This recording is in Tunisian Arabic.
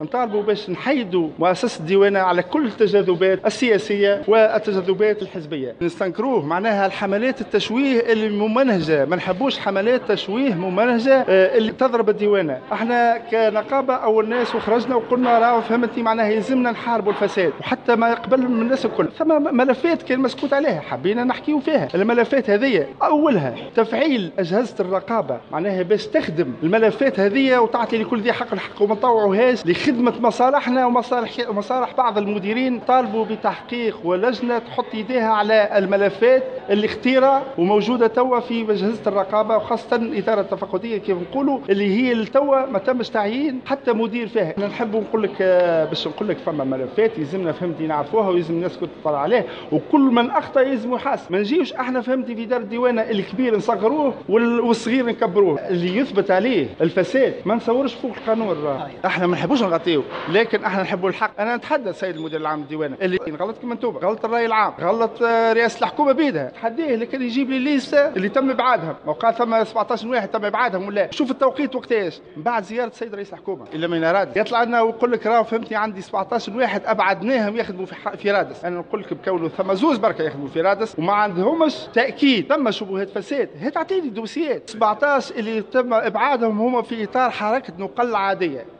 نطالبوا باش نحيدوا مؤسسة الديوانه على كل التجاذبات السياسية والتجاذبات الحزبية. نستنكروه معناها الحملات التشويه اللي ممنهجه، ما نحبوش حملات تشويه ممنهجه اللي تضرب الديوانه. احنا كنقابه اول ناس وخرجنا وقلنا راهو فهمتني معناها يلزمنا نحاربوا الفساد، وحتى ما يقبل من الناس الكل. ثم ملفات كان مسكوت عليها حبينا نحكيو فيها. الملفات هذه اولها تفعيل اجهزة الرقابة، معناها باش تخدم الملفات هذه وتعطي لكل ذي حق الحق وما نطوعوهاش لخدمة مصالحنا ومصالح بعض المديرين. طالبوا بتحقيق ولجنه تحط يديها على الملفات اللي اختيرة وموجودة توا في اجهزة الرقابة، وخاصة الادارة التفقديه كيف نقولوا اللي هي توا ما تمش تعيين حتى مدير فيها. انا نحب نقول لك باش نقول لك فما ملفات يلزمنا فهمتي نعرفوها ويلزم الناس كل تطلع عليها، وكل من اخطا يلزم يحاسب. ما نجيوش احنا فهمتي في دار الديوانه الكبير نصغروه والصغير نكبروه. اللي يثبت عليه الفساد ما نصورش فوق القانون. احنا ما نحبوش نغطيو، لكن احنا نحبوا الحق. انا نتحدى السيد المدير العام للديوانه اللي غلط كما انتم، غلط الراي العام، غلط رئاسة الحكومة بيدها، تحديه لكن يجيب لي ليسته اللي تم ابعادهم. وقال ثم 17 واحد تم ابعادهم ولا شوف التوقيت وقتاش من بعد زيارة السيد رئيس الحكومة الا من رادس يطلع لنا ويقول لك راهو فهمتني عندي 17 واحد ابعدناهم يخدموا في رادس. انا نقول لك بكونه ثم زوز بركة يخدموا في رادس وما عندهمش تاكيد، ثم شبهات فساد. هات اعطيني dossiers 17 اللي تم ابعادهم هما في اطار حركة نقل عادية.